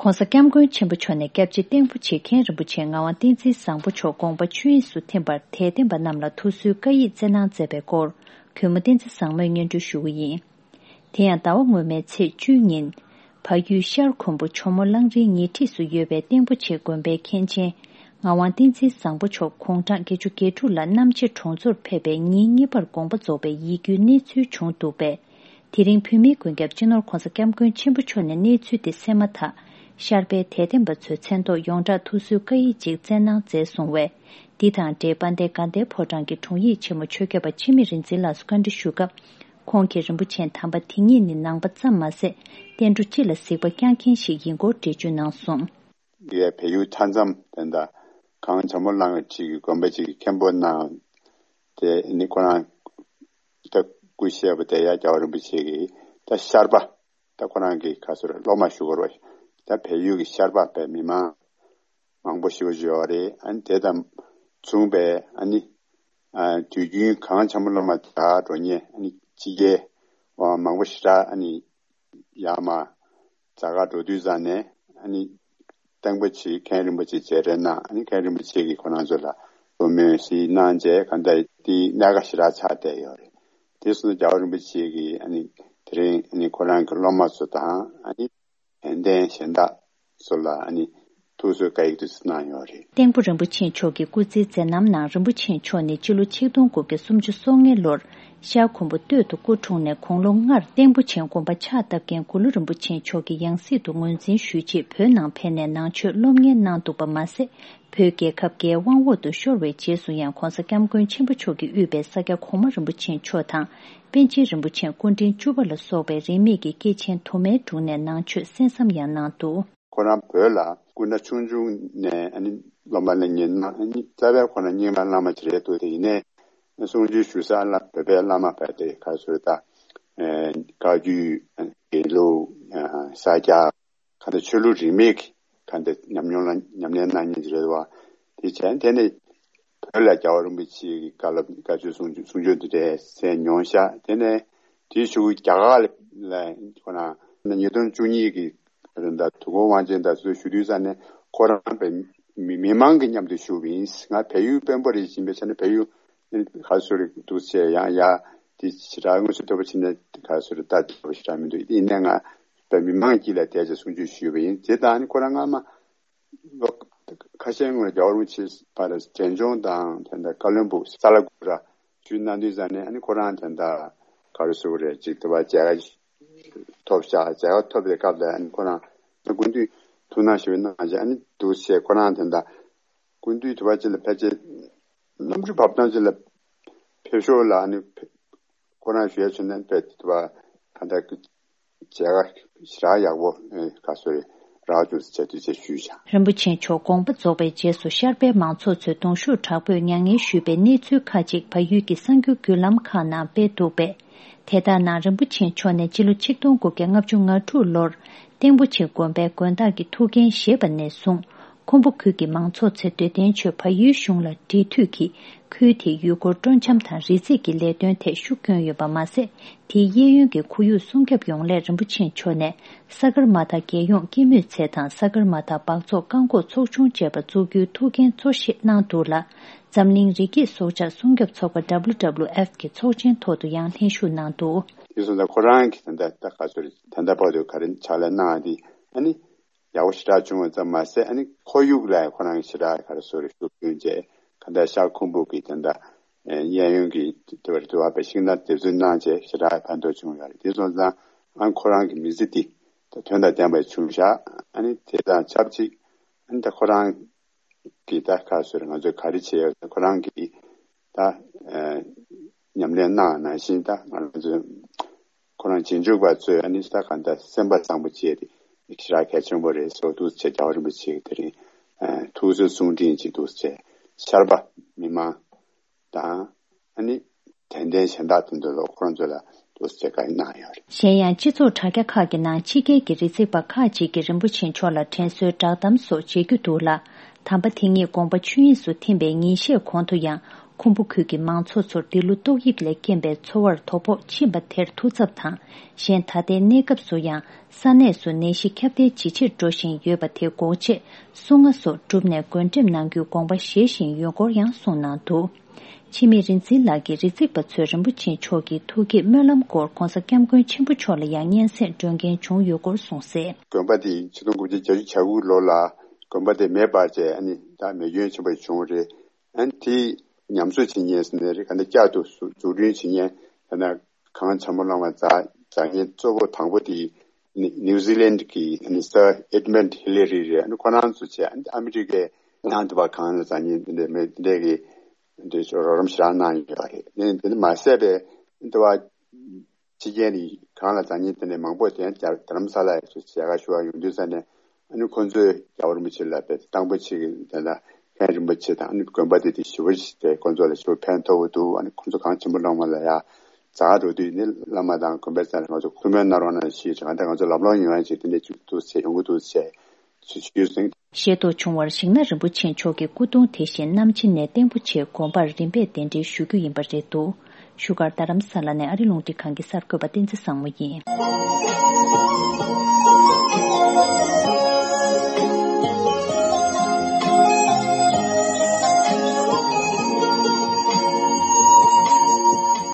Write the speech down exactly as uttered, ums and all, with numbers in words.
༸གོང་ས་༸སྐྱབས་མགོན་ཆེན་པོ་མཆོག་ནས་སྐྱབས་རྗེ་སྟེང་ཕོ་ཆེ་མཁན་རིན་པོ་ཆེ་ངག་དབང་བསྟན་འཛིན་བཟང་པོ་མཆོག་དགོངས་པ་ཆོས་དབྱིངས་སུ་ཐིམ་པར་དད་ལྡན་པ་རྣམས་ལ་ཐུགས་གསོའི་བཀའ་ཡིག་སྩལ་གནང་མཛད་པའི་སྐོར། གུས་མོ་བསྟན་འཛིན་བཟང་མོས་སྙན་སྒྲོན་ཞུ་གི་ཡིན། དེ་ཡང་ཟླ་བ་སྔོན་མའི་ཚེས་བཅུའི་ཉིན། བལ་ཡུལ་ཤར་ཁུམ་བུ་ཇོ་མོ་གླང་རིའི་ཉེ་འཁྲིས་སུ་ཡོད་པའི་སྟེང་ཕོ་ཆེ་དགོན་པའི་མཁན་ཆེན། ངག་དབང་བསྟན་འཛིན་བཟང་པོ་མཆོག་དགུང་གྲངས་བརྒྱད་ཅུ་གྱ་དྲུག་ལ་གནམ་ཕྱེད་གྲོང་ཚོར་ཕེབས་པའི་ཉིན་གཉིས་པར་དགོངས་པ་རྫོགས་པའི་ཡིད་སྐྱོའི་གནས་ཚུལ་བྱུང་འདུག་པས། དེ་རིང་བོད་མིའི་མགོན་སྐྱབས་སྤྱི་ནོར་༸གོང་ས་༸སྐྱབས་མགོན་ཆེན་པོ་མཆོག་ནས་གནས་ཚུལ་དེ་གསན་མ་ཐག་ཤར་པའི་དད་ལྡན་པ་ཚོའི་མཚན་ཐོག་ཡོངས་གྲགས་ཐུགས་གསོའི་བཀའ་ཡིག་ཅིག་བསྩལ་གནང་མཛད་སོང་བས། འདི་དང་འབྲེལ་དཔལ་ལྡན་དགའ་ལྡན་ཕོ་བྲང་གི་དྲུང་ཡིག་ཆེན་མོ་ཆོས་སྐྱབས་པ་འཆི་མེད་རིག་འཛིན་ལགས་སུ་བཀའ་འདྲི་ཞུ་སྐབས། ཁོང་གིས་རིན་པོ་ཆེ་དམ་པ་དེ་ཉིད་ནི་ནང་པ་ཙམ་མ་ཟད། བསྟན་འགྲོ་སྤྱི་ལ་གཟིགས་པ་བསྐྱངས་མཁན་ཞིག་ཡིན་སྐོར་འགྲེལ་བརྗོད་གནང་སོང་། འདི་བལ་ཡུལ་མཐའ་མཚམས་དེ་འདྲ་གངས་ཇོ་མོ་གླང་གི་འཁྲིས་ཀྱི་དགོན་པ་ཅིག་གི་མཁན་པོ་གནང་། དེ་ནི་ཁོ་རང་ད་སྐུ་གཤེགས་པ་དེ་ཡང་རྒྱལ་བ་རིན་པོ་ཆེ་གི་ད་ཤར་པ་ད་ཁོ་རང་གི་ཁ་སོར་སློབ་མ་ཞུ་དགོས་རེད། ད་བལ་ཡུལ་གྱི་ཤར་པ་བས་མི་མང་མང་པོ་ཞིག་ཡོད་རེད། ཨ་ནི་དེ་དང་མཚུངས་པའི་ཨ་ནི་ཨ་དུས་རྒྱུན་གངས་ཇོ་མོ་སློབ་མ་དེ་འགྲོ་མཁན་ཨ་ནི་ཕྱི་རྒྱལ་བ་མང་པོ་ཞེ་དྲག་ཨ་ནི་ཡར་མར་རྒྱ་གར་འགྲོ་དུས་ཙང་ནས་ཨ་ནི་སྟེང་ཕོ་ཆེ་མཁན་རིན་པོ་ཆེ་མཇལ་འཕྲད་གནང་། ཨ་ནི་མཁན་རིན་པོ་ཆེ་གིས་ཁོ་རང་ཚོ་ལ་བཀའ་མོལ་ཞིག་གནང་རྗེས་གང་ལྟར་དེའི་གནད་འགག་ཞེ་དྲག་ཆགས་བསྡད་ཡོད་རེད། དེ་སོང་ཙང་རྒྱལ་བ་རིན་པོ་ཆེ་གིས་ཨ་ནི་དེ་རིང་ཨ་ནི་ཁོ་རང་གི་སློབ་མ་ཚོ་དང་ཨ་ནི་དད་ལྡན་གཞན་དག་ཚོ་ལ་ཨ་ནི་ཐུགས་གསོའི་བཀའ་ཡིག་དེ་ཚོ་གནང་ཡོད་རེད། སྟེང་ཕོ་རིན་པོ་ཆེ་མཆོག་གི་སྐུ་ཚེའི་མཛད་རྣམ་ནང་རིན་པོ་ཆེ་མཆོག་ནི་སྤྱི་ལོ་ཆིག་སྟོང་དགུ་བརྒྱ་སུམ་ཅུ་སོ་ལྔའི་ལོར་ཤར་ཁུམ་བུ་སྟོད་དུ་སྐུ་འཁྲུངས་ནས་དགུང་ལོ་ལྔར་སྟེང་ཕོ་ཆེ་དགོན་པ་ཕྱག་བཏབ་མཁན་གུ་ལུ་རིན་པོ་ཆེ་མཆོག་གི་ཡང་སྲིད་དུ་ངོས་འཛིན་ཞུས་རྗེས་བོད་ནང་ཕེབས་ནས་ནང་ཆོས་སློབ་གཉེར་གནང་འདུག་པ་མ་ཟད། བོད་རྒྱལ་ཁབ་རྒྱའི་དབང་འོག་ཏུ་ཤོར་བའི་རྗེས་སུ་ཡང་༸གོང་ས་༸སྐྱབས་མགོན་ཆེན་པོ་མཆོག་གིས་དབུས་པའི་ས་སྐྱ་གོང་མ་རིན་པོ་ཆེ་མཆོག་དང་། པཎ་ཆེན་རིན་པོ་ཆེ་སྐུ་ཕྲེང་བཅུ་པ་ལ་སོགས་པའི་རིས་མེད་ཀྱི་སྐྱེས་ཆེན་དུ་མའི་དྲུང་ནས་ནང་ཆོས་གསན་བསམ་ཡང་གནང་འདུག་ཁོ་རང་བོད་ལ་སྐུ་ན་ཆུང་ཆུང་ནས་ཨ་ནི་སློབ་མ་ལ་ཉན་ན་ཨ་ནི་རྩ་བའི་ཁོ་ན་རྙིང་མ་བླ་མ་ཅིག་རེད་འདུག་དེ་ཡིན་ནའི་གསུང་ཆོས་ཞུ་ས་ལ་བོད་པའི་བླ་མ་བས་དེ་ག་ཚོད་ད། བཀའ་བརྒྱུད། དགེ་ལུགས། ས་སྐྱ། ག་འདྲ་ཆོས་ལུགས་རིས་མེད་ཀྱི་ག་འདྲ་ཉམས་མྱོང་ལ་ཉམས་ལེན་གནང་མཁན་ཅིག་རེད་བ། དེ་བྱས་དེ་ནས་བོད་ལ་རྒྱལ་བ་རིན་པོ་ཆེ་གི་བཀའ་སློབ་བཀའ་ཆོས་གསུང་ཆོས་གསུང་ཆོས་འདི་འདྲ་གསན་མྱོང་ཤག་དེ་ནས་དེའི་གཞུག་རྒྱ་གར་ལ་ཁོ་ན་ཉིས་སྟོང་བཅུ་གཉིས་ཀྱི་རིང་ད་དུས་འཁོར་དབང་ཆེན་ད་ཚོས་ཞུ་དུས་ཙང་ནས་ཁོ་རང་བས་མི་མི་མང་གི་མཉམ་དུ་བཞུགས་པ་ཡིན། ང་བལ་ཡུལ་དཔོན་པོ་རེད་ཅེས་པའི་ཆ་ནས་བལ་ཡུལ་ག་ཚོད་རེད་འདུག་ཟེར་ཡང་ཡ་དེ་ཞེ་དྲག་དངོས་སུ་ཐོབ་པ་ཕྱིན་ན་ག་ཚོད་རེད་ལྟ་ཐུབ་པ་ཞེ་དྲག་མི་འདུག་ཡིན་ནའི་ང་བས་མི་མང་དཀྱིལ་ལ་བསྡད་ཅེས་གསུང་ཆོས་ཞུས་པ་ཡིན། དེ་དང་ནི་ཁོ་རང་སྔ་མ་ལོ་ཁ་ཤས་སྔོན་རྒྱལ་བ་རིན་པོ་ཆེ་ཕར་འབྲས་ལྗོངས་དང་དེ་འདྲ་བཀའ་བློན་སྦུག་ས་ལ་གུ་ར་ཞུས་གནང་དུས་ཙང་ནས་ཨ་ནི་ཁོ་རང་དེ་འདྲ་ག་རེ་ཟེར་དགོས་རེད་ཅིག་དེ་བ་མཇལ་ཁ་ཐོབ་ཤག་མཇལ་ཁ་ཐོབ་པའི་སྐབས་ལ་ཨ་ནི་ཁོ་རང་སྐུ་མདུན་ཐུགས་སྣང་ཞེ་པོ་གནང་བྱས་ཨ་ནི་འདུག་བྱས་ཁོ་རང་དེ་འདྲ་སྐུ་མདུན་དུ་བ་ཅིག་ལ་ཕལ་ཆེར་གནམ་གྲུ་བབས་སྟངས་ཅིག་ལ་ཕེབས་ཤོག་ལ་ཨ་ནི་ཁོ་རང་ཞུ་ཡ་བྱུང་ན་ཕེབས་དུ་བ་ག་འདྲ་མཇལ་ཁ་ཞེ་དྲག་ཡག་པོ་ག་ཚོད་རག་བྱུང་ཟེར་དུས་ཚེ་ཞུས་བྱ། རིན་པོ་ཆེ་མཆོག་དགོངས་པ་རྫོགས་པའི་རྗེས་སུ་ཤར་པའི་མང་ཚོགས་ཚོས་གདུང་ཤུགས་དྲག་པོས་མྱ་ངན་ཞུས་པའི་གནས་ཚུལ་ཁག་ཅིག་བལ་ཡུལ་གྱི་གསར་འགྱུར་བརྒྱུད་ལམ་ཁག་ནང་སྤེལ་འདུག་པས། དེ་ལྟར་ན་རིན་པོ་ཆེ་མཆོག་ནས་སྤྱི་ལོ་ཆིག་སྟོང་དགུ་བརྒྱ་ལྔ་བཅུ་ང་དྲུག་ལོར་སྟེང་ཕོ་ཆེ་དགོན་པའི་དགོན་བདག་གི་ཐུགས་འགན་བཞེས་པ་ནས་བཟུང་། ཁུམ་བུ་ཁུལ་གྱི་མང་ཚོགས་ཚོས་སྡོད་ལྡན་ཆོས་བལ་ཡུལ་གཞུང་ལ་འབྲེལ་མཐུད་ཀྱིས་ཁུལ་དེའི་ཡུལ་སྐོར་སྤྲོ་འཆམ་དང་རི་འཛེག་གི་ལས་དོན་ཐད་ཤུགས་བསྐྱོན་ཡོད་པ་མ་ཟད། དེའི་གཡས་གཡོན་གྱི་ཁོར་ཡུག་སྲུང་སྐྱོབ་ཡོང་སླད་རིན་པོ་ཆེ་མཆོག་ནས་ས་གར་མ་ཐ་རྒྱལ་ཡོངས་སྐྱེད་མོས་ཚལ་དང་ས་གར་མ་ཐ་སྦགས་བཙོག་བཀག་འགོག་ཚོགས་ཆུང་བཅས་པ་བཙུགས་རྒྱུའི་ཐུགས་འགན་གཙོ་བཞེས་གནང་འདུག་ལ། འཛམ་གླིང་རི་སྐྱེས་སྲོག་ཆགས་སྲུང་སྐྱོབ་ཚོགས་པ་W W F གི་ཚོགས་ཆེན་ཐོག་ཏུ་ཡང་ལྷན་ཞུགས་གནང་འདུག་དེ་སོང་ཙང་ཁོ་རང་གིས་ད་ལྟ་ད་ག་ཚོད་རེད། ད་ལྟ་བར་དུ་ག་རེ་ཕྱག་ལས་གནང་བ་དེ་ཨ་ནི་ཡག་པོ་ཞེ་དྲག་བྱུང་བ་ཙམ་མ་ཟད་ཨ་ནི་ཁོར་ཡུག་ལ་ཁོ་རང་གིས་ཞེ་དྲག་ག་རེ་ཟེར་རེད་ཤུགས་བསྐྱོན་བྱས་ག་འདྲ་ཤར་ཁུམ་བུ་གི་ད་ལྟ་གཡས་གཡོན་གྱི་དེ་བར་དུ་བ་པའི་ཤིང་ནགས་འདེབས་འཛུགས་གནང་བྱས་ཞེ་དྲག་ཕན་ཐོགས་བྱུང་ཡོད་རེད། དེ་སོང་ཙང་ཨ་ཁོ་རང་གི་མི་ཚེ་འདི་ད་དོན་དང་ལྡན་པ་བྱུང་ཤག་ཨ་ནི་དེ་དང་ཆབས་ཅིག་ཨ་ནི་ད་ཁོ་རང་གི་ད་ག་ཟེར་ང་ཚོས་ག་རེ་བྱས་ཡོད་ད་ཁོ་རང་གིས་ད་ཨ་ཉམས་ལེན་གནང་ནང་བཞིན་ད་ང་ཚོས་ཁོ་རང་རྗེས་འཇུག་པ་ཚོས་ཨ་ནི་ད་ག་ད་སེམས་པ་བཟང་པོ་བྱས་ཏེ་ཞེ་དྲག་གལ་ཆེན་པོ་རེད་ཟེར་འདུག་ཟེར་རྒྱལ་བ་རིན་པོ་ཆེ་གིས་དེ་རིང་ཨ་ཐུགས་གསོའི་གསུང་འཕྲིན་ཅིག་འདུག་ཟེར་ཤར་པ་མི་མང་དང་ཨ་ནི་དད་ལྡན་གཞན་དག་དེ་ཚོ་ལ་ཁོ་རང་ཚོ་ལ་འདུག་ཟེར་བཀའ་གནང་ཡོད་རེད། གཞན་ཡང་སྤྱི་ཚོགས་དྲ་རྒྱ་ཁག་གི་ནང་ཕྱི་རྒྱལ་གྱི་རི་འཛེག་པ་ཁག་ཅིག་གིས་རིན་པོ་ཆེ་མཆོག་ལ་དྲན་གསོའི་བསྒྲགས་གཏམ་སོགས་བྱེད་རྒྱུ་འདུག་ལ། དམ་པ་དེ་ཉིད་དགོངས་པ་ཆོས་དབྱིངས་སུ་ཐིམ་པའི་ཉིན་ཤས་གོང་དུ་ཡང་ ཁུམ་བུ་ཁུལ་གྱི་མང་ཚོགས་ཚོར་འདི་ལོ་ཏོག་དབྱིབས་ལས་རྐྱེན་པས་འཚོ་བར་དོ་ཕོག་ཕྱིན་པ་དེར་ཐུགས་འཚབ་དང་། གཞན་ད་ལྟའི་གནས་སྐབས་སུ་ཡང་ས་གནས་སུ་ནད་གཞི་ཁྱབ་གདལ་ཇེ་ཆེར་འགྲོ་བཞིན་ཡོད་པ་དེ་འགོག་ཆེད་སྲུང་བརྩི་སོགས་བསྒྲུབས་ནས་བགོ་འགྲེམས་གནང་རྒྱུའི་དགོངས་པ་བཞེས་བཞིན་ཡོད་སྐོར་ཡང་གསུངས་གནང་འདུག་འཆི་མེད་རིག་འཛིན་ལགས་ཀྱིས་རི་རྩེག་པ་ཚོས་རིན་པོ་ཆེ་མཆོག་གི་ཐུགས་བསྐྱེད་སྨོན་ལམ་སྐོར་༧གོང་ས་༧སྐྱབས་མགོན་ཆེན་པོ་མཆོག་ལ་ཡང་སྙན་སེང་སྒྲོན་མཁན་བྱུང་ཡོད་སྐོར་གསུངས་གསལ། དགོན་པ་དེ་ཆིག་སྟོང་དགུ་བརྒྱ་བརྒྱད་ཅུ་གྱ་དགུ་ལོ་ལ་དགོན་པ་དེ་མེ་འབར་བྱས་ཨ་ནི་ད་མེ་སྐྱོན་ཆེན་པོ་བྱུང་བ་རེད། ཨ་ནི་དེ་ཉམས་གསོ་བྱེད་མཁན་ཟེར་ནའི་རེད། ག་འདྲ་བསྐྱར་དུ་འཛུགས་སྐྲུན་བྱེད་མཁན་ད་ནི་གངས་ཆེན་པོ་གླང་མ་འཛེགས་མཁན་གཙོ་བོ་དང་པོ་དེ་ནི་ནིའུ་ཛི་ལན་གྱི་ནི་སར་ཨེ་ཌི་མོན་ཌི་ཧི་ལེ་རི་རེད། ཨ་ནི་ཁོ་རང་ཚོ་བྱས་ཨ་ནི་ཨ་མི་རི་ཀའི་ནང་དུ་བ་གངས་ལ་འཛེགས་མཁན་དེ་འདྲ་མེ་དེ་འདྲ་གི་འདི་ཚོ་རོགས་རམ་ཞེ་དྲག་གནང་ཡོད་པ་རེད། ནི་འདི་ནི་མ་ཟད་པའི་འདི་བ་ཕྱི་རྒྱལ་ནས་གང་ལ་འཛེགས་མཁན་དེ་ནས་མང་པོ་དེ་རྒྱ་རྡ་རམ་ས་ལ་ཡི་ཚོ་མཇལ་ཁ་ཞུ་བ་ཡོང་དུས་ཙ་ནས་ཨ་ནི་ཁོང་ཚོས་རྒྱལ་བ་རིན་པོ་ཆེ་ལ་དཔེ་དང་པོ་ཆེ་གི་དེ་ལ་ལྷན་རིན་པོ་ཆེ་དང་ཨ་ནི་དགོན་པ་དེ་དེ་ཞེ་པོ་ཞིག་དེ་ཁོང་ཚོ་ལ་ཞེ་པོ་ཕན་ཐོགས་ཀྱི་འདུག་ཨ་ནི་ཁོང་ཚོ་གངས་ཆེན་པོ་གླང་མ་ལ་ཡ་འཛེགས་འགྲོ་དུས་ནི་བླ་མ་དང་དགོན་པའི་རྩ་ནས་ང་ཚོ་ཐུགས་སྨོན་གནང་རོགས་གནང་ཞེས་ང་ཚོ་ལམ་ལྷོང་ཡོང་ཡ་ཞིག་དེ་འདྲ་ཅིག་འདུག་ཟེར་ཡོང་གི་འདུག་ཟེར་ཞུ་རྒྱུ་ཡིན། ཤེས་རྟོགས་བྱུང་བར་ཞིང་ནག་རིན་པོ་ཆེ་མཆོག་གི་སྐུ་གདུང་དེ་བཞིན་གནམ་ཕྱི་ནས་ལྟེང་པོ་ཆེ་དགོན་པར་རིམ་པས་གདན་འདྲེན་ཞུ་རྒྱུ་ཡིན་པ་རེད་འདུག་བཞུགས་སྒར་རྡ་རམ་ས་ལ་ནས་ཨ་རི་རླུང་འཕྲིན་ཁང་གི་གསར་འགོད་པ་བསྟན་འཛིན་བཟང་མོ་ཡིན།